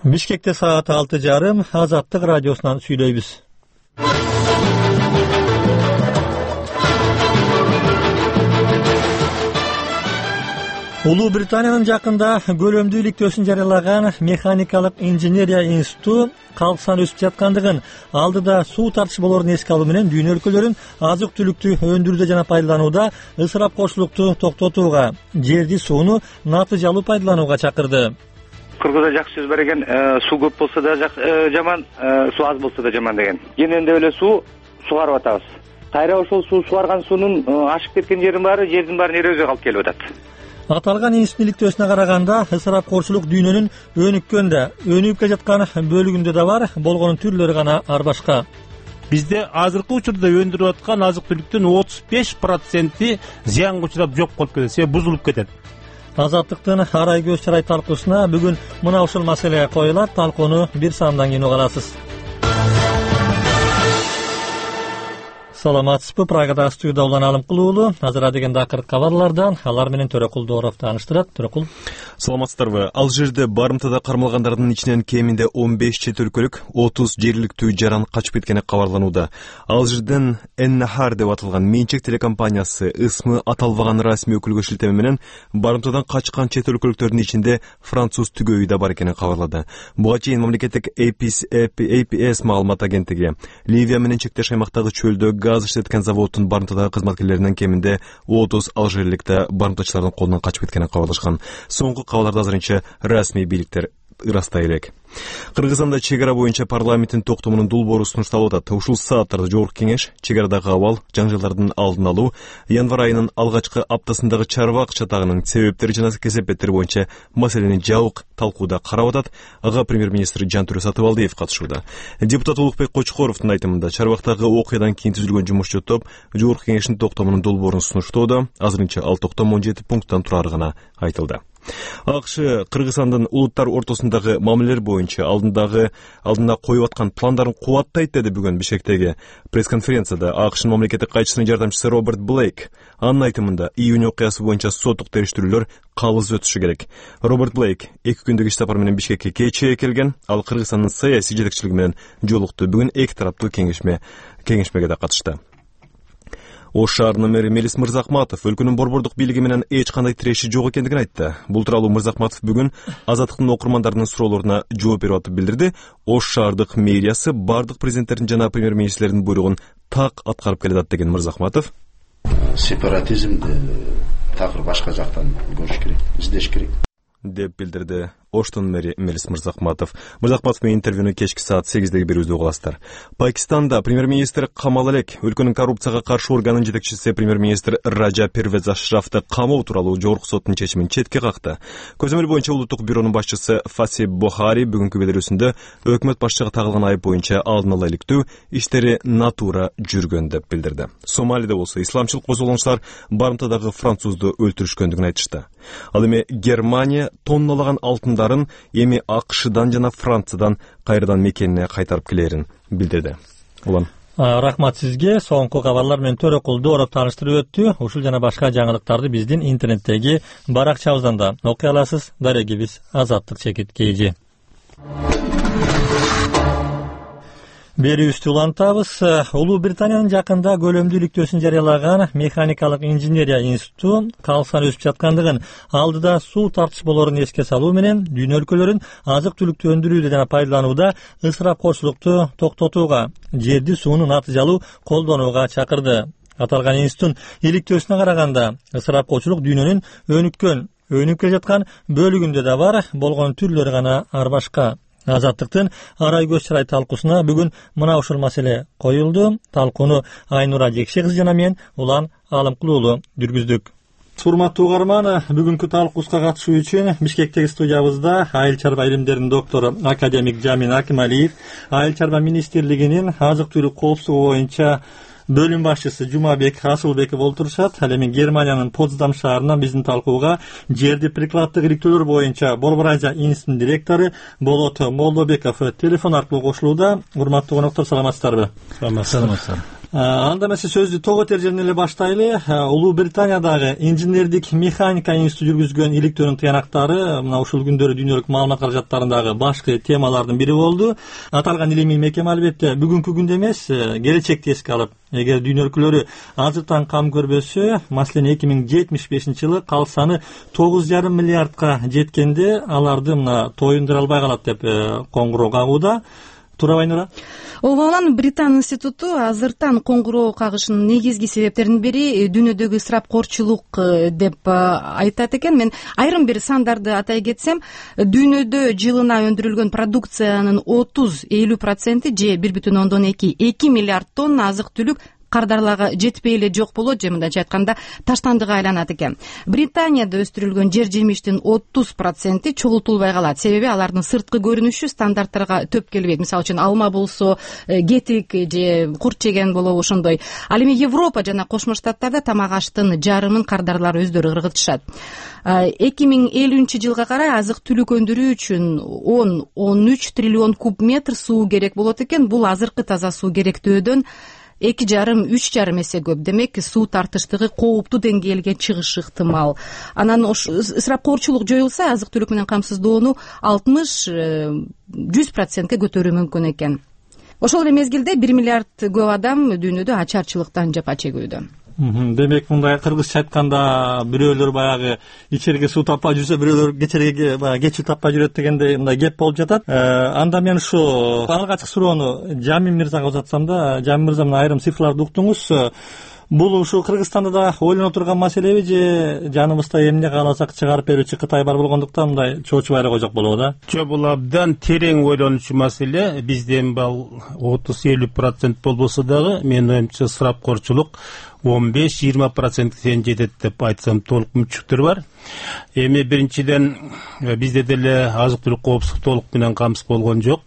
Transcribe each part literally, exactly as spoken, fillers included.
Бишкекте саат алты жарым Азаттык радиосунан сүйлөйбүз. Улуу Британиянын жакында көлөмдүү иликтөөсүн жарыялаган Механикалык инженерия институту калк саны өсүп жаткандыгын, алдыда суу тартыш болорун эске алуу менен дүйнө өлкөлөрүн азык-түлүктү өндүрүүдө жана пайдаланууда ысырапкорчулукту токтотууга, жерди сууну натыйжалуу пайдаланууга чакырды. Кыргызда жакшы сөз бар экен, суу көп болсо да жаман, суу аз болсо да жаман деген. Кенендеп эле суу сугарып атабыз. Кайра ошол суу сугарган суунун ашып кеткен жердин баары жердин баарын эрозияга алып келип атат. Аталган институт иликтөөсүнө караганда ысырапкорчулук дүйнөнүн өнүккөндө, өнүгүп келе жаткан бөлүгүндө да бар, болгонун түрлөрү гана ар башка. Бизде азыркы учурда өндүрүп аткан азык-түлүктүн отуз беш проценти зыянга учурап жок болуп кетет, себеби бузулуп кетет. Азаттыктын арай көз чырай талкуусуна бүгүн мына ушул маселе коюлат. Талкууну бир саамдан кийин угаласыз. Саламатсызбы? Прагада студияда Улан Алымкул уулу. Азыр деген дакырт кабарлардан алар менен Төрөкул Дооров тааныштырат. Төрөкул. Саламатсыздарбы? Алжирде барымтада кармалгандардын ичинен кеминде он беш чет өлкөлүк, отуз жергиликтүү жаран качып кеткени кабарланууда. Алжирден Эн-Нахар деп аталган менчик телекомпаниясы ысмы аталбаган расмий өкүлгө шилтеме менен барымтадан качкан чет өлкөлүктөрдүн ичинде француз түгөйү да бар экенин кабарлады. Буга чейин мамлекеттик A P S маалымат агенттиги Ливия менен чектеш аймактагы чөлдө газ иштеткен заводдун барымтадагы кызматкерлеринен кеминде отуз алжирликте барымтачылардын колунан качып кеткенин кабарлашкан. Соңку кабарларды азырынча расмий бийликтер ырастай элек. Кыргызстанда чек ара боюнча парламенттин токтомунун долбоору сунушталып атат. Ушул сааттарда жогорку кеңеш чек арадагы абал, жаңжалдардын алдын алуу, январь айынын алгачкы аптасындагы чарбак чатагынын себептери жана кесепеттери боюнча маселени жабык талкууда карап атат. Ага премьер-министр Жантүрө Сатыбалдиев катышууда. Депутат Улукбек Кочкоровдун айтымында чарбактагы окуядан кийин түзүлгөн жумушчу топ жогорку кеңештин токтомунун долбоорун сунуштоодо. Азырынча ал токтом он жети пункттан турары гана айтылды. АКШ Кыргызстандын улуттар ортосундагы мамилелер боюнча алдындагы алдына коюп аткан пландарын кубаттайт деди бүгүн Бишкектеги пресс-конференцияда АКШнын мамлекеттик кайчысынын жардамчысы Роберт Блейк. Анын айтымында июнь окуясы боюнча соттук териштирүүлөр калыс өтүшү керек. Роберт Блейк эки күндүк иш сапар менен Бишкекке кечээ келген. Ал Кыргызстандын саясий жетекчилиги менен жолукту. Бүгүн эки тараптуу кеңешме кеңешмеге да катышты. Ош шаарынын мэри Мелис Мырзахматов өлкөнүн борбордук бийлиги менен эч кандай тиреши жок экендигин айтты. Бул тууралуу Мырзахматов бүгүн Азаттыктын окурмандарынын суроолоруна жооп берип атып билдирди. Ош шаардык мэриясы бардык президенттердин жана премьер-министрлердин буйругун так аткарып келатат деген Мырзахматов. Сепаратизмди такыр башка жактан көрүш керек, издеш керек деп билдирди Оштун мэри Мелис Мырзахматов. Мырзахматовдун интервьюну кечки саат сегиздеги берүүбүздө угаласыздар. Пакистанда премьер-министр камал элек. Өлкөнүн коррупцияга каршы органынын жетекчиси премьер-министр Раджа Первез Ашрафты камоо тууралуу жогорку соттун чечимин четке какты. Көзөмөл боюнча улуттук бюронун башчысы Фасиб Бохари бүгүнкү билдирүүсүндө өкмөт башчыга тагылган айып боюнча алдын ала иликтөө иштери натура жүргөн деп билдирди. Сомалиде болсо исламчыл козголоңчулар барымтадагы французду өлтүрүшкөндүгүн айтышты. Ал эми Германия тонналаган алтындарын эми АКШдан жана Франциядан кайрадан мекенине кайтарып келерин билдирди. Улан. Рахмат сизге. Соңку кабарлар менен Төрөкул Дооров тааныштырып өттү. Ушул жана башка жаңылыктарды биздин интернеттеги баракчабыздан да окуй аласыз. Дарегибиз Азаттык чекит кей. Берүүбүздү улантабыз. Улуу Британиянын жакында көлөмдүү иликтөөсүн жарыялаган Механикалык инженерия институту калк саны өсүп жаткандыгын, алдыда суу тартыш болорун эске салуу менен дүйнө өлкөлөрүн азык-түлүктү өндүрүүдө жана пайдаланууда ысырапкорчулукту токтотууга, жерди сууну натыйжалуу колдонууга чакырды. Аталган институттун иликтөөсүнө караганда ысырапкорчулук дүйнөнүн өнүккөн, өнүгүп келе жаткан бөлүгүндө да бар, болгон түрлөрү гана ар башка. Азаттыктын арай көз чырай талкуусуна бүгүн мына ушул маселе коюлду. Талкууну Айнура Жекше кызы жана мен Улан Алымкул уулу жүргүздүк. Урматтуу угарман, бүгүнкү талкуuска катышуу үчүн Бишкектеги студиябызда айыл чарба илимдеринин доктору академик Жамин Акималиев, айыл чарба министрлигинин азык-түлүк коопсуздугу боюнча бөлүм башчысы Жумабек Асылбеков олтурушат. Ал эми Германиянын Потсдам шаарынан биздин талкууга жерди прикладдык иликтөөлөр боюнча Борборазия институтунун директору Болот Молдобеков телефон аркылуу кошулууда. Урматтуу коноктор, саламатсыздарбы? Саламатсыздар. Анда эмесе сөздү тоготер жеринен эле баштайлы. Улуу Британиядагы инженердик механика институту жүргүзгөн иликтөөнүн тыянактары мына ушул күндөрү дүйнөлүк маалымат каражаттарындагы башкы темалардын бири болду. Аталган илимий мекеме албетте бүгүнкү күндө эмес, келечекти эске алып, эгер дүйнө өлкөлөрү азыртан кам көрбөсө, маселен эки миң жетимиш бешинчи жылы калк саны тогуз жарым миллиардка жеткенде аларды мына тоюндура албай калат деп коңгуроо кагууда. Туурабы Айнура? Ооба, Британ институту азыртан коңгуроо кагышынын негизги себептеринин бири дүйнөдөгү ысырапкорчулук деп айтат экен. Мен айрым бир сандарды атай кетсем, дүйнөдө жылына өндүрүлгөн продукциянын отуз элүү проценти же бир бүтүн ондон эки эки миллиард тонна азык-түлүк кардарларга жетпей эле жок болот, же мындайча айтканда таштандыга айланат экен. Британияда өстүрүлгөн жер жемиштин отуз проценти чогултулбай калат, себеби алардын сырткы көрүнүшү стандарттарга төп келбейт. Мисалы үчүн алма болсо кетик же курт жеген болобу ошондой. Ал эми Европа жана Кошмо Штаттарда тамак аштын жарымын кардарлар өздөрү ыргытышат. эки миң элүүнчү жылга карай азык-түлүк өндүрүү үчүн он он үч триллион куб метр суу керек болот экен. Бул азыркы таза суу керектөөдөн эки жарым үч жарым эсе көп. Демек суу тартыштыгы кооптуу деңгээлге чыгышы ыктымал. Анан ысырапкорчулук жоюлса, азык-түлүк менен камсыздоону алтымыш жүз процентке көтөрүү мүмкүн экен. Ошол эле мезгилде бир миллиард көп адам дүйнөдө ачарчылыктан жапа чегүүдө. Демек мындай кыргызча айтканда бирөөлөр баягы ичерге суу таппай жүрсө, бирөөлөр кечерге баягы кечил таппай жүрөт дегендей мындай кеп болуп жатат. Анда мен ушу алгачкы суроону Жамин мырзага узатсам да, Жамин мырза мына айрым цифрларды уктуңуз. Бул ушу Кыргызстанда да ойлоно турган маселеби же жаныбызда эмне кааласак чыгарып берүүчү Кытай бар болгондуктан мындай чоочубай эле койсок болобу да? Жок, бул абдан терең ойлонуучу маселе. Бизде бул отуз элүү процент болбосо дагы, менин оюмча ысырапкорчулук он беш жыйырма процентке чейин жетет деп айтсам толук мүмкүнчүлүктөр бар. Эми биринчиден бизде деле азык-түлүк коопсуздук толук менен камсыз болгон жок.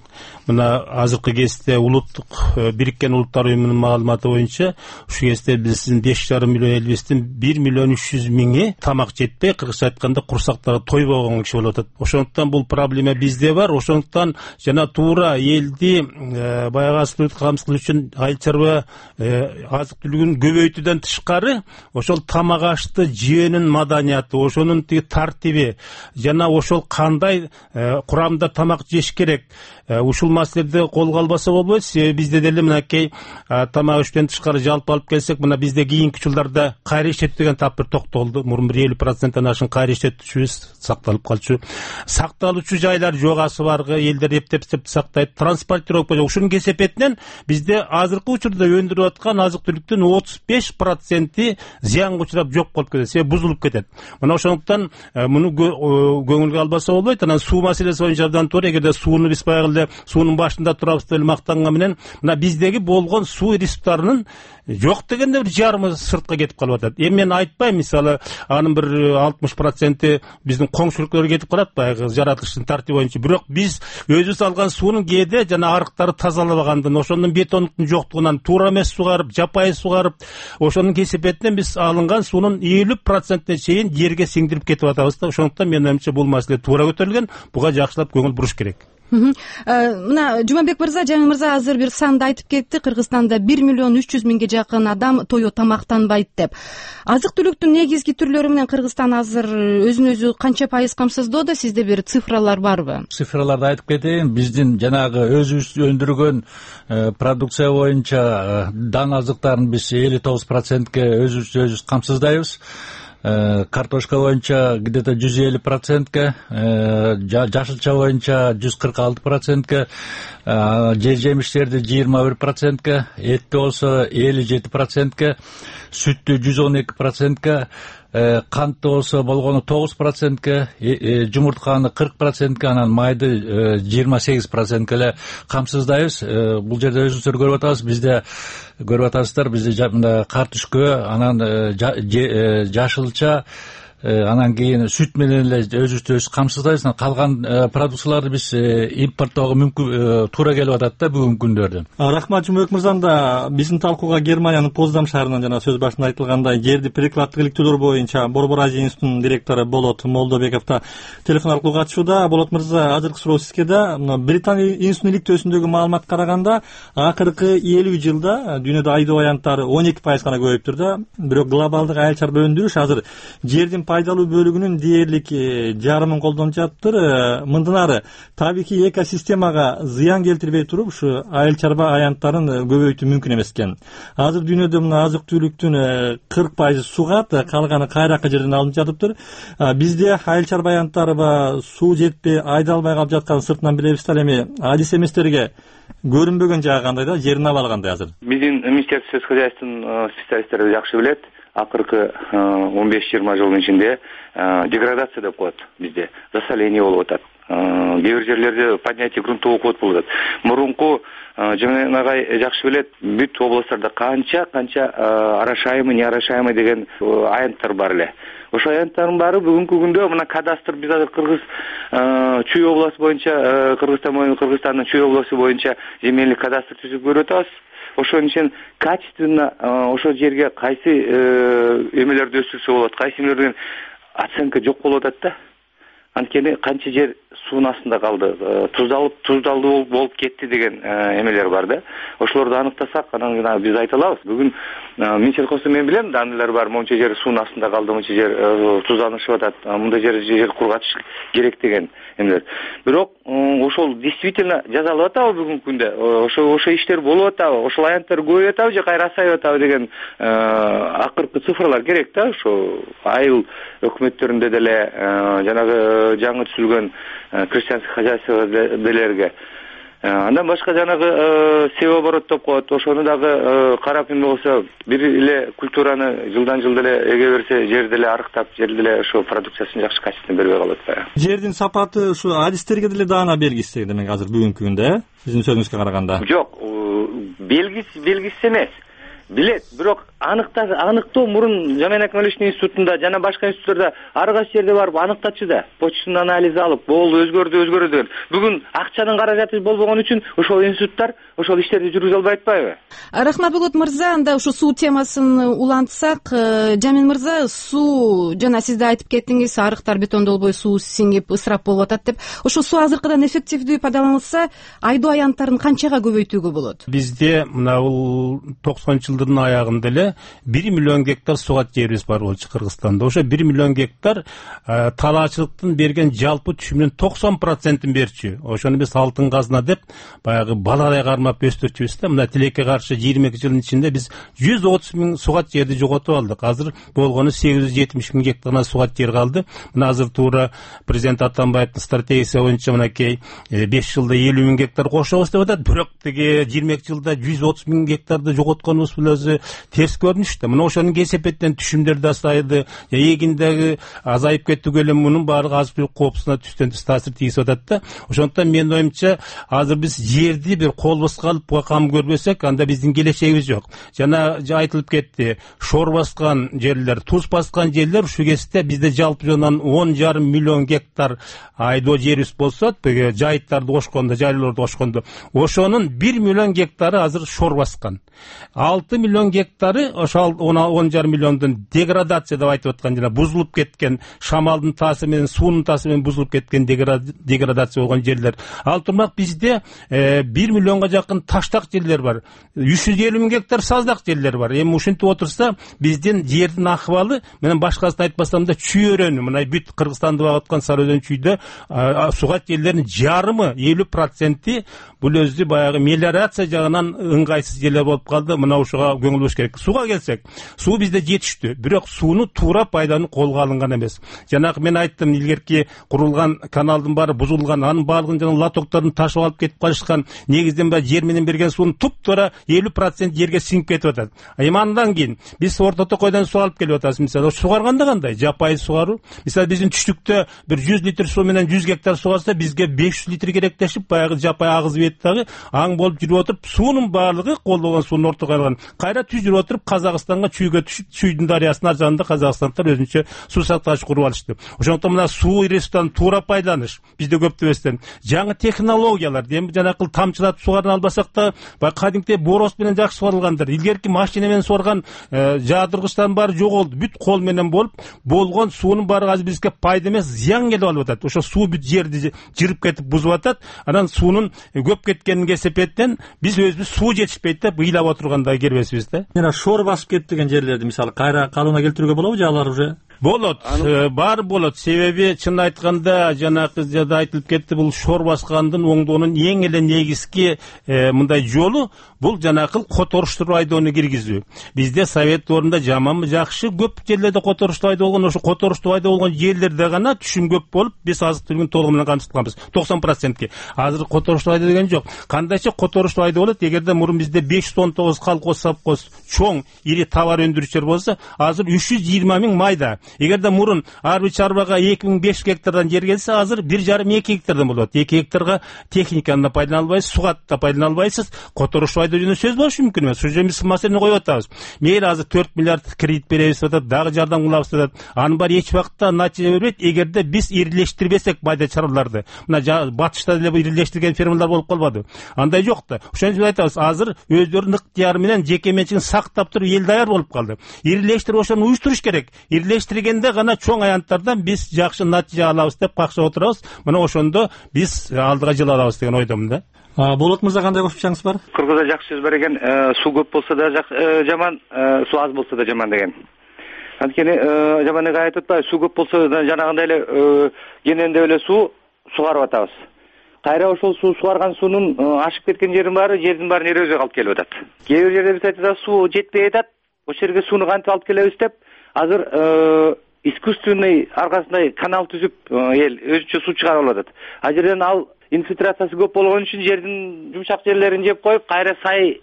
Мына азыркы кезде улуттук Бириккен Улуттар уюмунун маалыматы боюнча ушу кезде биздин беш жарым миллион элибиздин бир миллион үч жүз миңи тамак жетпей, кыргызча айтканда курсактары тойбогон киши болуп атат. Ошондуктан бул проблема бизде бар. Ошондуктан жана туура элди баягы азык-түлүк камсыз кылуу үчүн айыл чарба азык-түлүгүн көбөйтүүдөн тышкары ошол тамак ашты жөөнүн маданияты, ошонун тиги тартиби жана ошол кандай курамда тамак жеш керек, ушул маселеди колго албаса болбойт. Себеби бизде деле мынакей тамак иштен тышкары жалпы алып келсек, мына бизде кийинки жылдарда кайра иштетүү деген тап бир токтолду. Мурун бир элүү проценттен ашын кайра иштетүүчүбүз сакталып калчу. Сакталуучу жайлар жогасы баргы, элдер эптеп сактайт, транспортировка жок. Ушунун кесепетинен бизде азыркы учурда өндүрүп аткан азык-түлүктүн отуз беш проценти зыянга учурап жок болуп кетет, себеби бузулуп кетет. Мына ошондуктан муну көңүлгө албаса болбойт. Анан суу маселеси боюнча абдан туура. Эгерде сууну биз баягы суунун башында турабыз деп мактанган менен, мына биздеги болгон суу ресурстарынын жок дегенде бир жарымы сыртка кетип калып атат. Эми мен айтпайм, мисалы анын бир алтымыш проценти биздин коңшулуктар кетип калат баягы жаратылыштын тартиби боюнча. Бирок биз өзүбүз алган суунун кээде жана арыктары тазалабагандан, ошондон бетондуктун жоктугунан туура эмес сугарып, жапайы сугарып, ошонун кесепетинен биз алынган суунун элүү процентине чейин жерге сиңдирип кетип атабыз да. Ошондуктан менин оюмча бул маселе туура көтөрүлгөн. Буга жакшылап көңүл буруш керек. Мына Жумабек мырза, Жамин мырза азыр бир санды айтып кетти. Кыргызстанда бир миллион үч жүз миңге жакын адам тою тамактанбайт деп. Азык-түлүктүн негизги түрлөрү менен Кыргызстан азыр өзүн өзү канча пайыз камсыздоодо? Сизде бир цифралар барбы? Цифраларды айтып кетейин. Биздин жанагы өзүбүз өндүргөн продукция боюнча дан азыктарын биз элүү тогуз процентке өзүбүз өзүбүз камсыздайбыз. Картошка боюнча где-то жүз элүү процентке, жашылча боюнча жүз кырк алты процентке, жер жемиштерди жыйырма бир процентке, этти болсо элүү жети процентке, сүттү жүз он эки процентке, кантты болсо болгону тогуз процентке, жумуртканы кырк процентке, анан майды жыйырма сегиз процентке эле камсыздайбыз. Бул жерде өзүңүздөр көрүп атасыз, бизде көрүп атасыздар, бизде мында картүшкө, анан жашылча, анан кийин сүт менен эле өзүбүздү өзүбүз камсыздайбыз. Калган продукцияларды биз импорттоого мүмкүн туура келип атат да бүгүнкү күндөрдө. Рахмат Жумабек мырзам. Да биздин талкууга Германиянын Поздам шаарынан жана сөз башында айтылгандай жерди прикладдык иликтөөлөр боюнча Борбор Азия институтунун директору Болот Молдобеков да телефон аркылуу катышууда. Болот мырза, азыркы суроо сизге да. Британия институтунун иликтөөсүндөгү маалыматка караганда акыркы элүү жылда дүйнөдө айдоо аянттары он эки пайыз гана көбөйүптүр да. Бирок глобалдык айыл чарба өндүрүш азыр жердин пайдалуу бөлүгүнүн дээрлик жарымын колдонуп жатыптыр. Мындан ары табигый экосистемага зыян келтирбей туруп ушу айыл чарба аянттарын көбөйтүү мүмкүн эмес экен. Азыр дүйнөдө мына азык түлүктүн кырк пайызы сугат, калганы кайракы жерден алынып жатыптыр. Бизде айыл чарба аянттарга суу жетпей айдалбай калып жатканын сыртынан билебиз да. Эми адис эместерге көрүнбөгөн жагы кандай да, жердин абалы кандай азыр? Биздин Министерство сельскохозяйственных специалисттери жакшы билет. Акыркы он беш жыйырма жылдын ичинде деградация деп коет бизде, засоление болуп атат. Кээ бир жерлерде поднятие грунтовых вод болуп атат. Мурунку Жамин агай жакшы билет, бүт областтарда канча канча орошаемый, неорошаемый деген аянттар бар эле. Ошо аянттардын баары бүгүнкү күндө мына кадастр биз азыр Кыргыз Чүй областы боюнча, Кыргызстан боюнча, Кыргызстандын Чүй областы боюнча земельдик кадастр түзүп көрүп атабыз. Ошон үчүн качественно ошол жерге кайсы эмелерди өстүрсө болот, кайсы эмелерден оценка жок болуп атат да. Анткени канча жер суунун астында калды, туздалып, туздалдуу болуп кетти деген эмелер бар да. Ошолорду аныктасак, анан биз айта алабыз. Бүгүн Минсельхозда мен билем, данныйлар бар, монча жер суунун астында калды, монча жер тузданышып атат, мындай жер жер кургатыш керек деген эмелер. Бирок ошол действительно жазалып атабы бүгүнкү күндө? Ошо ошо иштер болуп атабы? Ошол аянттар көбөйүп атабы же кайра азайып атабы деген акыркы цифрлар керек да. Ошо айыл өкмөттөрүндө деле жанагы жаңы түзүлгөн крестьянский хозяйстволерге андан башка жанагы севооборот деп коет. Ошону дагы карап эме болсо, бир эле культураны жылдан жылда эле эге берсе, жерди эле арыктап, жерди эле ошо продукциясын жакшы качественно бербей калат да. Жердин сапаты ушу адистерге деле даана белгисиз демек азыр бүгүнкү күндө, э? Сиздин сөзүңүзгө караганда. Жок, белгис белгисиз эмес. Билет, бирок аныктак аныктоо мурун Жамин Акмаловичтин институтунда жана башка институттарда ар кайсы жерде барып аныктатчы да. Почтанын анализи алып, болду, өзгөрдү, өзгөрдү деген. Бүгүн акчанын каражаты болбогон үчүн ошол институттар ошол иштерди жүргүзө албай атпайбы? Рахмат Болот мырза, анда ушу суу темасын улантсак, Жамин мырза, суу жана сиз да айтып кеттиңиз, арыктар бетондолбой суу сиңип ысырап болуп атат деп. Ошо суу азыркыдан эффективдүү пайдаланылса, айдоо аянттарын канчага көбөйтүүгө болот? Бизде мына бул токсонунчу жылдын аягында эле бир миллион гектар сугат жерибиз бар болчу Кыргызстанда. Ошо бир миллион гектар талаачылыктын берген жалпы түшүмүнүн токсон процентин берчү. Ошону биз алтын казына деп баягы баладай кармап өстүрчүбүз да. Мына тилекке каршы жыйырма эки жылдын ичинде биз жүз отуз миң сугат жерди жоготуп алдык. Азыр болгону сегиз жүз жетимиш миң гектар сугат жер калды. Мына азыр туура президент Атамбаевдин стратегиясы боюнча мынакей беш жылда элүү миң гектар кошобуз деп атат. Бирок тиги жыйырма эки жылда жүз отуз миң гектарды жоготконубуз өзү терс көрүнүш да. Мына ошонун кесепеттен түшүмдөр да азайды, эгиндеги азайып кеттүгө эле мунун баардыгы азык түлүк коопсуздугуна түштөн түз таасир тийгизип атат да. Ошондуктан менин оюмча азыр биз жерди бир колбоско алып кам көрбөсөк, анда биздин келечегибиз жок. Жана айтылып кетти, шор баскан жерлер, туз баскан жерлер, ушу кезде бизде жалпы жонан он жарым миллион гектар айдоо жерибиз болсо, жайыттарды кошкондо, жайлоорду кошкондо, ошонун бир миллион гектары азыр шор баскан. алты миллион гектары ошол он жарым миллиондун деградация деп айтып аткан, жана бузулуп кеткен, шамалдын таасири менен, суунун таасири менен бузулуп кеткен деградация болгон жерлер. Ал турмак бизде бир миллионго жакын таштак жерлер бар. үч жүз элүү миң гектар саздак жерлер бар. Эми ушинтип отурса, биздин жердин акыбалы менен башкасын айтпасам да чүй өрөөнү, мына бүт Кыргызстанды багып аткан Сары өзөн чүйдө сугат жерлеринин жарымы, элүү проценти бул өзү баягы мелиорация жагынан ыңгайсыз жерлер болуп калды. Мына ушуга көңүл буруш керек. Сууга келсек, суу бизде жетиштүү, бирок сууну туура пайдалануу колго алынган эмес. Жанагы мен айттым, илгерки курулган каналдын баары бузулган, анын баардыгын жана лотоктордун ташып алып кетип калышкан. Негизден баягы жер менен берген суунун туп-туура элүү процент жерге сиңип кетип атат. Эми андан кийин биз Орто Токойдон суу алып келип атабыз. Мисалы, сугарганда кандай? Жапайы сугаруу. Мисалы, биздин түштүктө бир жүз литр суу менен жүз гектар сугарса, бизге беш жүз литр керектешип, баягы жапайы агыз дейт дагы, аң болуп жүрүп отуруп суунун баардыгы колдогон суунун ортого кайрылган. Кайра түз жүрүп отуруп Казакстанга чүйгө түшүп, Чүйдүн дарыясынын ар жагында казакстандыктар өзүнчө суу сактагыч куруп алышты. Ошондуктан мына суу ресурстарын туура пайдаланыш бизде көптөбөстөн жаңы технологиялар, эми жанакыл тамчылатып сугарын албасак да, баягы кадимки бороз менен жакшы сугарылгандыр. Илгерки машина менен сугарган жаадыргычтардын баары жоголду. Бүт кол менен болуп, болгон суунун баары азыр бизге пайда эмес, зыян келип алып атат. Ошо суу бүт жерди жырып кетип бузуп атат. Анан суунун көп кеткенин кесепеттен биз өзүбүз суу жетишпейт деп ыйлап отурганда келбесибиз да. Жана шор басып кетти деген жерлерди мисалы кайра калыбына келтирүүгө болобу же алар уже болот, баары болот. Себеби чын айтканда жанакы жерде айтылып кетти, бул шор баскандын оңдоонун эң эле негизги мындай жолу бул жанакыл которуштуу айдоону киргизүү. Бизде совет орунда жаманбы жакшы көп жерлерде которуштуу айдоо болгон, ошо которуштуу айдоо болгон жерлерде гана түшүм көп болуп, биз азык түлүгүн толугу менен камсытканбыз, токсон процентке. Азыр которуштуу айдоо деген жок. Кандайча которуштуу айдоо болот? Эгерде мурун бизде беш жүз он тогуз колхоз, совхоз, чоң ири товар өндүрүүчүлөр болсо, азыр үч жүз жыйырма миң майда. Эгерде мурун ар бир чарбага эки миң беш жүз гектардан жер келсе, азыр бир жарым эки гектардан болот. эки гектарга техниканы да пайдалана албайсыз, суга да пайдалана албайсыз. Которуштуу айдоо жөнүндө сөз болушу мүмкүн эмес. Ошо жерде маселени коюп атабыз. Мейли азыр төрт миллиард кредит беребиз деп атат, дагы жардам кылабыз деп атат. Анын баары эч убакта натыйжа бербейт, эгерде биз ирилештирбесек майда чарбаларды. Мына батышта деле ирилештирген фермалар болуп калбады. Андай жок да. Ошон үчүн айтабыз, азыр өздөрүнүн ыктыяры менен жеке менчигин сактап туруп эл даяр болуп калды. Ирилештирип ошону уюштуруш керек. Ирилештиргенде гана чоң аянттардан биз жакшы натыйжа алабыз деп какшап отурабыз. Мына ошондо биз алдыга жыла алабыз деген ойдомун да. Болот мырза, кандай кошумчаңыз бар? Кыргызда жакшы сөз бар экен, суу көп болсо да жаман, суу аз болсо да жаман деген. Анткени жаман эле айтып атпайбы, суу көп болсо да жанагындай эле кененде эле суу сугарып атабыз. Кайра ошол суу сугарган суунун ашып кеткен жерин баары, жердин баарын эрозия калып келип атат. Кээ бир жерде биз айтабыз, суу жетпей атат, ошол жерге сууну кантип алып келебиз деп, азыр искусственный аркасындай канал түзүп эл өзүнчө суу чыгарып алып атат. А жерден ал инфильтрациясы көп болгон үчүн жердин жумшак жерлерин жеп коюп, кайра сайга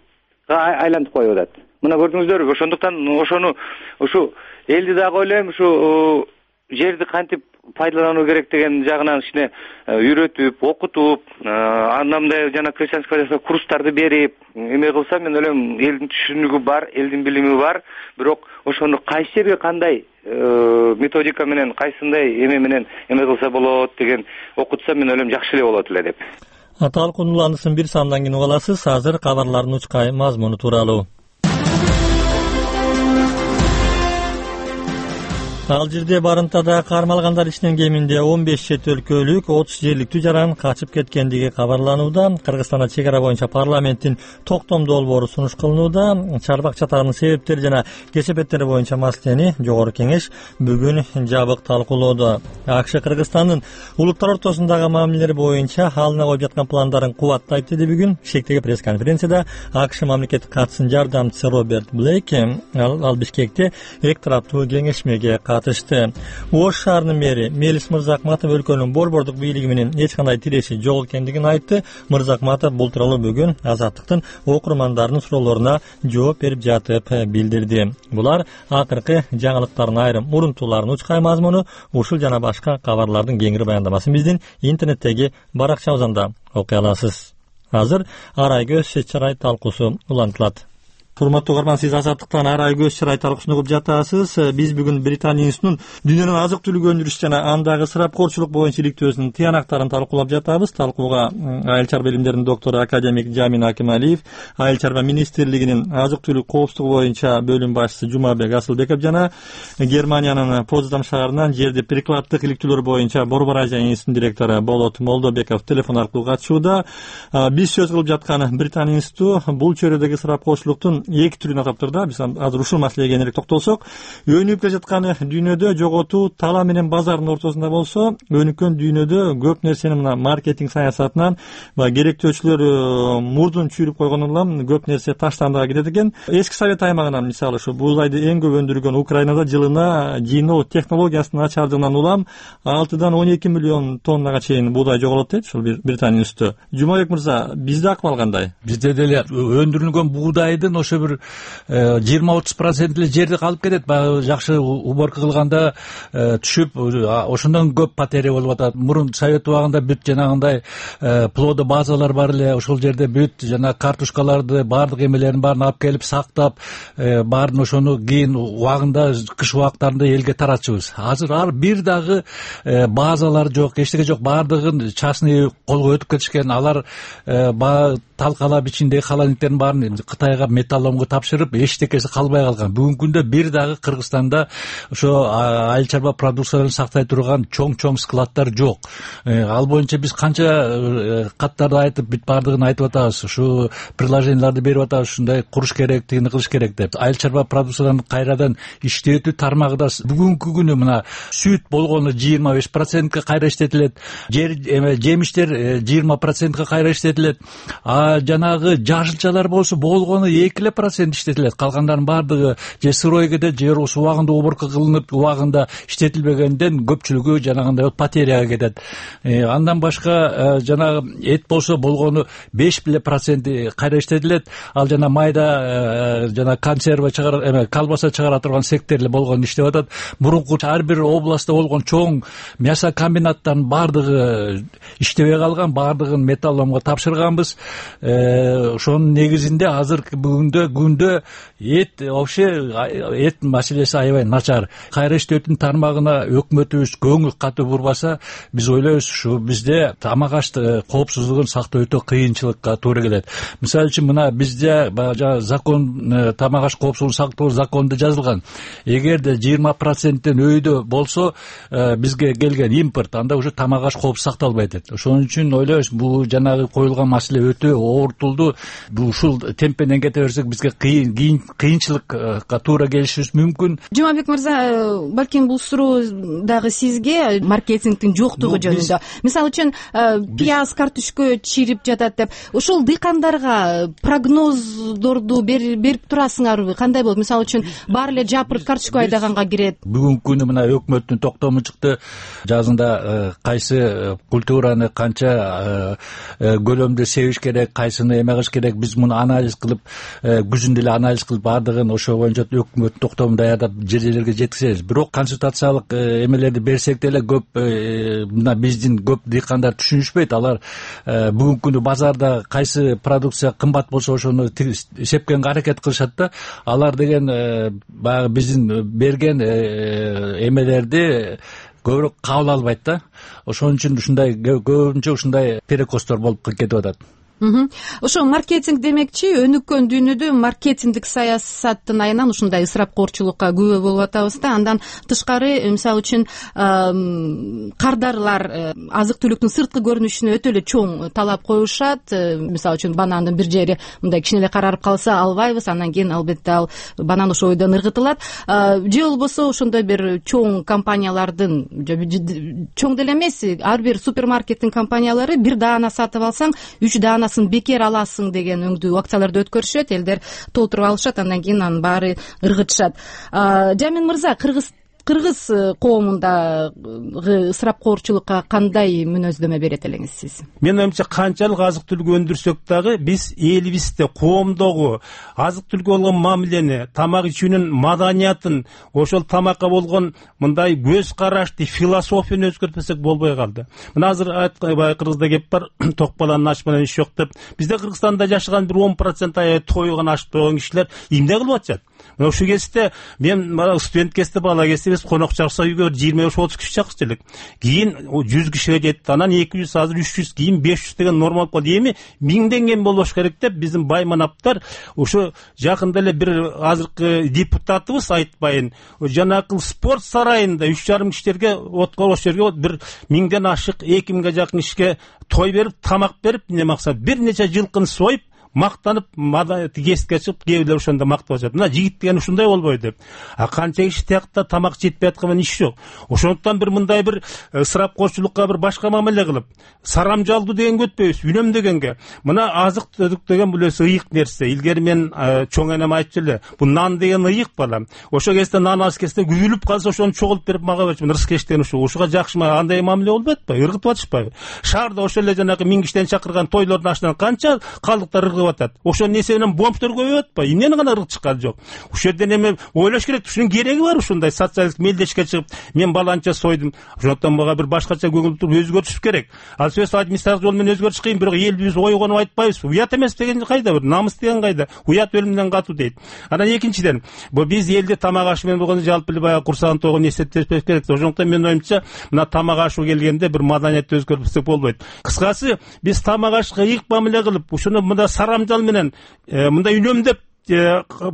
айлантып коюп атат. Мына көрдүңүздөрбү, ошондуктан ошону ушу элди дагы ойлойм, ушу жерди кантип пайдалануу керек деген жагынан кичине үйрөтүп, окутуп, андай жана крестьянский курстарды берип, эме кылса, мен ойлойм, элдин түшүнүгү бар, элдин билими бар, бирок ошону кайсы жерге кандай методика менен, кайсындай эме менен эме кылса болот деген окутса, мен ойлойм жакшы эле болот эле деп. Талкуулануусын бир сандан кийин угаласыз. Азыр кабарлардын учкай мазмуну тууралуу. Алжирде барымтада кармалгандар ичинен кеминде он беш чет өлкөлүк, отуз жерликтүү жаран качып кеткендиги кабарланууда. Кыргызстанда чек ара боюнча парламенттин токтом долбоору сунуш кылынууда. Чарбак чатагынын себептери жана кесепеттери боюнча маселени жогорку кеңеш бүгүн жабык талкуулоодо. АКШ Кыргызстандын улуттар ортосундагы мамилелери боюнча алына коюп жаткан пландарын кубаттайт деди бүгүн Бишкектеги пресс-конференцияда АКШ мамлекеттик катчысынын жардамчысы Роберт Блейк. Ал Бишкекте эки тараптуу кеңешмеге катышты. Ош шаарынын мэри Мелис Мырзакматов өлкөнүн борбордук бийлиги менен эч кандай тиреши жок экендигин айтты. Мырзакматов бул тууралуу бүгүн Азаттыктын окурмандарынын суроолоруна жооп берип жатып билдирди. Булар акыркы жаңылыктардын айрым урунтууларын учкай мазмуну, ушул жана башка кабарлардын кеңири баяндамасын биздин интернеттеги баракчабыздан да окуй аласыз. Азыр арай көз чет чарай талкуусу улантылат. Урматтуу угарман, сиз Азаттыктан арай көз чарай талкуусун угуп жатасыз. Биз бүгүн Британия институтунун дүйнөнүн азык түлүк өндүрүш жана андагы ысырапкорчулук боюнча иликтөөсүнүн тыянактарын талкуулап жатабыз. Талкууга айыл чарба илимдеринин доктору академик Жамин Акималиев, Айыл чарба министрлигинин азык түлүк коопсуздугу боюнча бөлүм башчысы Жумабек Асылбеков жана Германиянын Поздам шаарынан жерди прикладдык иликтүүлөр боюнча Борбор Азия институтунун директору Болот Молдобеков телефон аркылуу катышууда. Биз сөз кылып жаткан Британия институту бул чөйрөдөгү ысырапкорчулуктун эки түрүн атап тур да. Биз азыр ушул маселеге кененирээк токтолсок, өнүгүп келе жаткан дүйнөдө жоготуу талап менен базардын ортосунда болсо, өнүккөн дүйнөдө көп нерсени мына маркетинг саясатынан баягы керектөөчүлөр мурдун чүйрүп койгондон улам көп нерсе таштандыга кетет экен. Эски Совет аймагынан мисалы ушу буудайды эң көп өндүргөн Украинада жылына жыйноо технологиясынын начардыгынан улам алтыдан он эки миллион тоннага чейин буудай жоголот дейт ушул Британия институту. Жумабек мырза, бизде акыбал кандай? Бизде деле өндүрүлгөн буудайдын ошо ошо бир жыйырма отуз процент эле жерди калып кетет. Баягы жакшы уборка кылганда түшүп ошондон көп потеря болуп атат. Мурун совет убагында бүт жанагындай плодо базалар бар эле, ошол жерде бүт жана картошкаларды баардык эмелерин баарын алып келип сактап, баарын ошону кийин убагында кыш убактарында элге таратчубуз. Азыр ар бир дагы базалар жок, эчтеке жок, баардыгын частный колго өтүп кетишкен. Алар талкалап ичиндеги холодильниктердин баарын Кытайга металлоломго тапшырып, эчтекеси калбай калган. Бүгүнкү күндө бир дагы Кыргызстанда ошо айыл чарба продукцияларын сактай турган чоң-чоң складдар жок. Ал боюнча биз канча каттарды айтып, бүт баардыгын айтып атабыз. Ушу приложенияларды берип атабыз, ушундай куруш керек, тигини кылыш керек деп. Айыл чарба продукцияларын кайрадан иштетүү тармагы да бүгүнкү күнү мына сүт болгону жыйырма беш процентке кайра иштетилет, жемиштер жыйырма процентке кайра иштетилет. А жанагы жашылчалар болсо болгону эки эле процент иштетилет. Калгандарынын баардыгы же сырой кетет, же убагында уборка кылынып, убагында иштетилбегенден көпчүлүгү жанагындай потеряга кетет. Андан башка жанагы эт болсо болгону беш эле процент кайра иштетилет. Ал жана майда жана консерва чыгара, эме колбаса чыгара турган сектор болгону иштеп атат. Мурунку ар бир областта болгон чоң мясо комбинаттарынын баардыгы иштебей калган, баардыгын металлоломго тапшырганбыз. Ошонун негизинде азыркы бүгүндө күндө эт вообще эт маселеси аябай начар. Кайра иштетүүнүн тармагына өкмөтүбүз көңүл катуу бурбаса, биз ойлойбуз ушу бизде тамак аш коопсуздугун сактоо өтө кыйынчылыкка туура келет. Мисалы үчүн мына бизде баягы закон, тамак аш коопсуздугун сактоо законунда жазылган. Эгерде жыйырма проценттен өйдө болсо бизге келген импорт, анда уже тамак аш коопсуз сакталбайт дейт. Ошон үчүн ойлойбуз, бул жанагы коюлган маселе өтө оорутулду. Ушул темпенен кете берсек бизге кыйын кыйынчылыкка туура келишибиз мүмкүн. Жумабек мырза, балким бул суроо дагы сизге маркетингдин жоктугу жөнүндө. Мисалы үчүн пияз, картошка чирип жатат деп, ошол дыйкандарга прогноздорду берип турасыңарбы? Кандай болот? Мисалы үчүн баары эле жапырт картошка айдаганга кирет. Бүгүнкү күнү мына өкмөттүн токтому чыкты. Жазында кайсы культураны канча көлөмдө себиш керек, кайсыны эме кылыш керек, биз муну анализ кылып, күзүндө эле анализ кылып, баардыгын ошо боюнча өкмөттүн токтомун даярдап жер жерлерге жеткизебиз. Бирок консультациялык эмелерди берсек деле көп мына биздин көп дыйкандар түшүнүшпөйт. Алар бүгүнкү күнү базарда кайсы продукция кымбат болсо ошону сепкенге аракет кылышат да. Алар деген баягы биздин берген эмелерди көбүрөөк кабыл албайт да. Ошон үчүн ушундай көбүнчө ушундай перекостор болуп кетип атат. Ошо маркетинг демекчи, өнүккөн дүйнөдө маркетингдик саясаттын айынан ушундай ысырапкорчулукка күбө болуп атабыз да. Андан тышкары, мисалы үчүн кардарлар азык түлүктүн сырткы көрүнүшүнө өтө эле чоң талап коюшат. Мисалы үчүн банандын бир жери мындай кичине эле карарып калса албайбыз, андан кийин албетте ал банан ошол бойдон ыргытылат. Же болбосо ошондой бир чоң компаниялардын, чоң деле эмес, ар бир супермаркеттин компаниялары бир даана сатып алсаң үч даана бекер аласың деген өңдүү акцияларды өткөрүшөт, элдер толтуруп алышат, андан кийин анын баары ыргытышат. Жамин мырза, кыргыз кыргыз коомундагы ысырапкорчулукка кандай мүнөздөмө берет элеңиз сиз? Менин оюмча, канчалык азык түлүк өндүрсөк дагы биз элибизде, коомдогу азык түлүккө болгон мамилени, тамак ичүүнүн маданиятын, ошол тамакка болгон мындай көз карашты, философияны өзгөртпөсөк болбой калды. Мына азыр айткандай Кыргызда кеп бар, ток баланын аш менен иш жок деп. Бизде Кыргызстанда жашаган бир он процент аябай тойгон аш болгон кишилер эмне кылып атышат? Мына ушул кезде мен студент кезде, бала кезде биз конок чакырса үйгө жыйырма беш отуз киши чакырчу элек. Кийин жүз кишиге жетти, анан эки жүз, азыр үч жүз, кийин беш жүз деген норма болуп калды. Эми миңден кем болбош керек деп биздин байманаптар ушу жакында эле бир азыркы депутатыбыз айтпайын, жанакы спорт сарайында үч жарым кишилерге отко бош жерге бир миңден ашык, эки миңге жакын кишиге той берип, тамак берип, эмне максат бир нече жылкыны союп, мактанып, эске чыгып, кээ бирлер ошондо мактап атышат. Мына жигит деген ушундай болбойт деп. А канча киши тиякта тамак жетпей аткан иш жок. Ошондуктан бир мындай бир ысырапкорчулукка бир башка мамиле кылып, сарамжалдуу дегенге өтпөйбүз, үнөм дегенге. Мына азык түлүк деген бул эсе ыйык нерсе. Илгери мен чоң энем айтчу эле, бул нан деген ыйык балам. Ошо кезде нан аз кезде күйүлүп калса ошону чогултуп берип мага берчүмүн. Рыскеш деген ушу. Ушуга жакшымы андай мамиле болбойт атпайбы? Иргытып атышпайбы? Шаарда ошол эле жанагы миң кишиден чакырган тойлордун ашынан канча калдыктар ыргып деп атат. Ошол нерсе менен бомждор көбөйүп атпайбы? Эмнени гана ырк чыккан жок. Ушул жерден эме ойлош керек. Ушунун кереги бар ушундай социалдык мелдешке чыгып, мен баланча сойдум. Ошондон мага бир башкача көңүл туруп өзгөртүш керек. Ал сөз администрациялык жол менен өзгөртүш кыйын, бирок элбиз ойгонуп айтпайбыз. Уят эмес деген кайда, бир намыс деген кайда? Уят өлүмдөн катуу дейт. Анан экинчиден, бу биз элде тамак ашы менен болгондо жалпы эле баягы курсагын толгон эсептешпеш керек. Ошондуктан менин оюмча, мына тамак ашы келгенде бир маданиятты өзгөртсөк болбойт. Кыскасы, биз тамак ашка ыйык мамиле кылып, ушуну мында сарамжал менен мындай үнөмдөп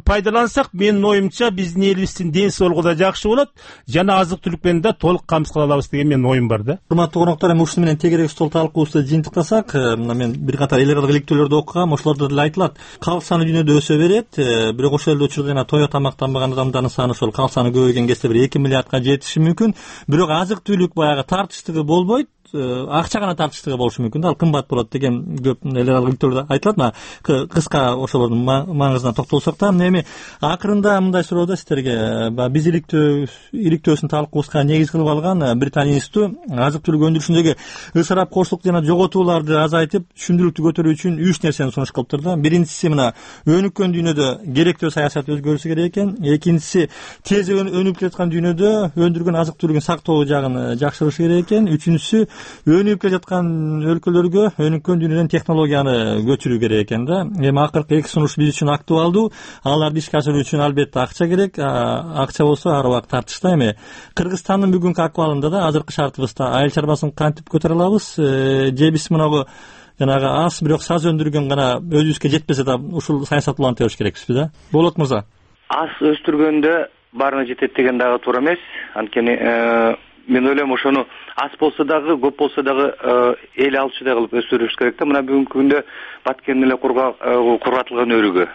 пайдалансак, менин оюмча биздин элибиздин ден соолугу да жакшы болот, жана азык-түлүк менен да толук камсыз кыла алабыз деген менин оюм бар да. Урматтуу коноктор, эми ушуну менен тегерек стол талкуубузду жыйынтыктасак, мына мен бир катар эл аралык иликтөөлөрдү окугам, ошолордо деле айтылат. Калк саны дүйнөдө өсө берет, бирок ошол эле учурда жана тое тамактанбаган адамдардын саны ошол калк саны көбөйгөн кезде бир эки миллиардка жетиши мүмкүн. Бирок азык-түлүк баягы тартыштыгы болбойт. Акча гана тартыштыгы болушу мүмкүн да, ал кымбат болот деген көп эл аралык иликтөөлөрдө айтылат. Мына кыска ошолордун маңызына токтолсок да, эми акырында мындай суроо да сиздерге. Биз иликтөө иликтөөсүн талкуубузга негиз кылып алган Британия институту азык-түлүк өндүрүшүндөгү ысырапкорчулук жана жоготууларды азайтып, түшүндүрүктү көтөрүү үчүн үч нерсени сунуш кылыптыр да. Биринчиси, мына өнүккөн дүйнөдө керектөө саясат өзгөрүшү керек экен. Экинчиси, тез өнүгүп жаткан дүйнөдө өндүргөн азык-түлүгүн сактоо жагын жакшыртыш керек экен. Үчүнчүсү, өнүгүп келе жаткан өлкөлөргө өнүккөн дүйнөдөн технологияны көчүрүү керек экен да. Эми акыркы эки сунуш биз үчүн актуалдуу. Аларды ишке ашыруу үчүн албетте акча керек. Акча болсо ар убакыт тартышта. Эми Кыргызстандын бүгүнкү акыбалында да, азыркы шартыбызда айыл чарбасын кантип көтөрө алабыз? Же биз мынагу жанагы аз бирок саз өндүргөн гана өзүбүзгө жетпесе да ушул саясат уланта бериш керекпизби да? Болот мырза. Аз өстүргөндө баарына жетет деген дагы туура эмес. Анткени мен ойлойм, ошону аз болсо дагы, көп болсо дагы эл алчудай кылып өстүрүш керек да. Мына бүгүнкү күндө Баткен эле кургатылган өрүгө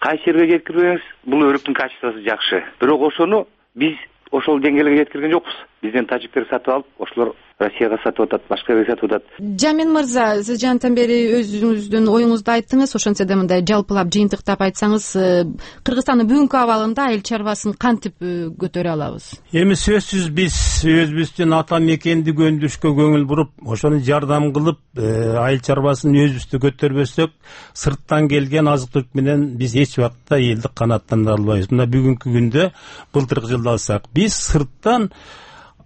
кайсы жерге жеткирбеңиз, бул өрүктүн качествосу жакшы. Бирок ошону биз ошол деңгээлге жеткирген жокпуз. Бизден тажиктер сатып алып, ошолор Россияга сатып атат, башка жерге сатып атат. Жамин мырза, сиз жантан бери өзүңүздүн оюңузду айттыңыз. Ошентсе да мындай жалпылап жыйынтыктап айтсаңыз, Кыргызстандын бүгүнкү абалында айыл чарбасын кантип көтөрө алабыз? Эми сөзсүз биз өзүбүздүн ата мекендик өндүрүшкө көңүл буруп, ошону жардам кылып, айыл чарбасын өзүбүздү көтөрбөсөк, сырттан келген азык-түлүк менен биз эч убакта элди канааттандыра албайбыз. Мына бүгүнкү күндө былтыркы жылды алсак, биз сырттан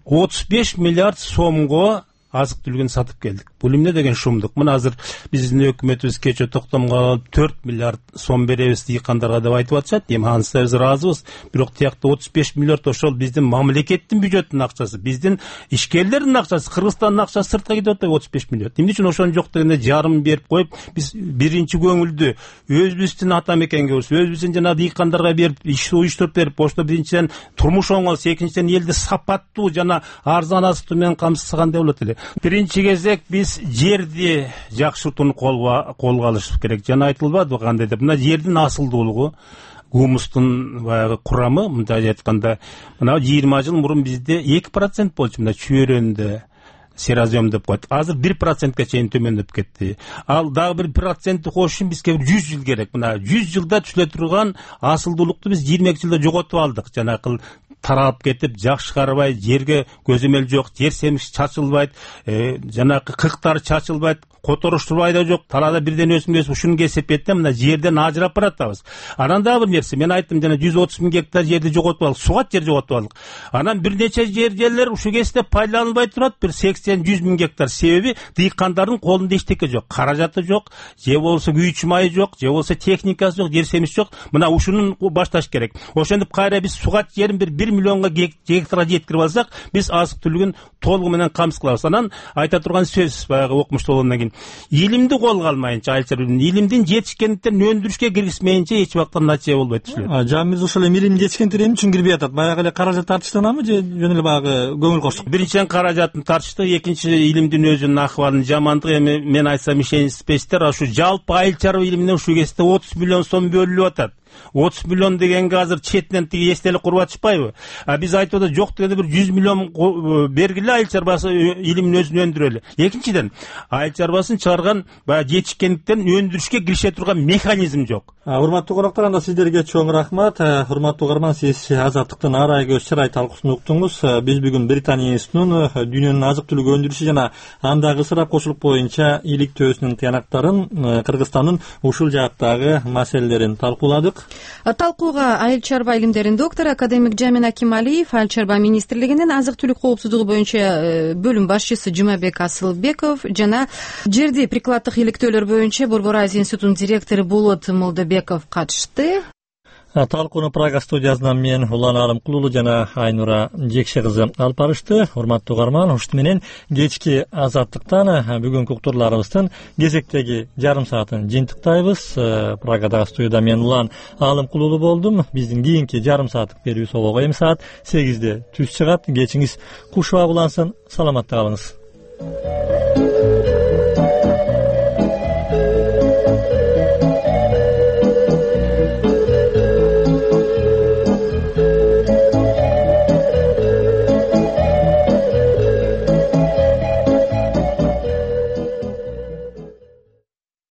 отуз беш миллиард сомго азык-түлүгүн сатып келдик. Бул эмне деген шумдук? Мына азыр биздин өкмөтүбүз кече токтомго алып төрт миллиард сом беребиз дыйкандарга деп айтып атышат. Эми анысы биз ыраазыбыз. Бирок тиякта отуз беш миллиард ошол биздин мамлекеттин бюджетинин акчасы, биздин ишкерлердин акчасы, Кыргызстандын акчасы сыртка кетип атат отуз беш миллиард. Эмне үчүн ошону жок дегенде жарым берип коюп, биз биринчи көңүлдү өзүбүздүн ата мекенге болсо, өзүбүздүн жана дыйкандарга берип, иш уюштуруп берип, ошто биринчиден турмуш оңолсо, экинчиден элди сапаттуу жана арзан азык менен камсыздагандай болот эле. Биринчи кезек биз жерди жакшыртууну колго колго алыш керек. Жана айтылбадыбы кандай деп? Мына жердин асылдуулугу, гумустун баягы курамы, мындай айтканда, мына жыйырма жыл мурун бизде эки процент болчу, мына чөйрөндө серозем деп коет. Азыр бир процентке чейин төмөндөп кетти. Ал дагы бир процентти коюш үчүн бизге жүз жыл керек. Мына жүз жылда түшүлө турган асылдуулукту биз жыйырма эки жылда жоготуп алдык. Жанакы таралып кетип, жакшы карабай, жерге көзөмөл жок, жер семиш чачылбайт, жанакы кыктар чачылбайт, которуштурбай да жок, талаада бирден өсүм өсүп, ушуну кесепетте мына жерден ажырап баратабыз. Анан дагы бир нерсе, мен айттым, жана жүз отуз миң гектар жерди жоготуп алдык, сугат жер жоготуп алдык. Анан бир нече жер жерлер ушу кезде пайдаланылбай турат, бир сексен жүз миң гектар. Себеби дыйкандардын колунда эчтеке жок, каражаты жок, же болсо күйүүчү майы жок, же болсо техникасы жок, жер семиш жок. Мына ушунун башташ керек. Ошентип кайра биз сугат жерин бир бир миллионго гектарга жеткирип алсак, биз азык-түлүгүн толугу менен камсыз кылабыз. Анан айта турган сөз, баягы окумуштуу болгондон кийин, илимди колго алмайынча, айыл чарбасын илимдин жетишкендиктерин өндүрүшкө киргизмейинче эч убакта натыйжа болбойт түшүлөт. Жамиз ошол эле илимдин жетишкендиктери эмне үчүн кирбей атат? Баягы эле каражат тартыштанабы же жөн эле баягы көңүл коштук? Биринчиден каражатын тартыштык, экинчи илимдин өзүнүн акыбалынын жамандыгы. Эми мен айтсам ишенишпейсиздер, ушу жалпы айыл чарба илимине ушул кезде отуз миллион сом бөлүнүп атат. отуз миллион дегенге азыр четинен тиги эстелик куруп атышпайбы? А биз айтып атат, жок дегенде бир жүз миллион бергиле, айыл чарбасы илимин өзүн өндүрөлү. Экинчиден, айыл чарбасын чыгарган баягы жетишкендиктен өндүрүшкө киреше турган механизм жок. Урматтуу коноктор, анда сиздерге чоң рахмат. Урматтуу угарман, сиз Азаттыктын ар ай көз чырай талкуусун уктуңуз. Биз бүгүн Британия институтунун дүйнөнүн азык түлүк өндүрүшү жана андагы ысырапчылык боюнча иликтөөсүнүн тыянактарын, Кыргызстандын ушул жааттагы маселелерин талкууладык. Талкууга айыл чарба илимдеринин доктору академик Жамин Акималиев, айыл чарба министрлигинин азык түлүк коопсуздугу боюнча бөлүм башчысы Жумабек Асылбеков жана жерди прикладдык иликтөөлөр боюнча Борбор Азия институтунун директору Болот Молдобеков катышты. Талкууну Прага студиясынан мен Улан Алымкулуу жана Айнура Жекше кызы алып барышты. Урматтуу угарман, ушут менен кечки Азаттыктан бүгүнкү уктурларыбыздын кезектеги жарым саатын жыйынтыктайбыз. Прагадагы студияда мен Улан Алымкулуу болдум. Биздин кийинки жарым сааттык берүүбүз обого эми саат сегизде түз чыгат. Кечиңиз куш уа улансын. Саламатта калыңыз.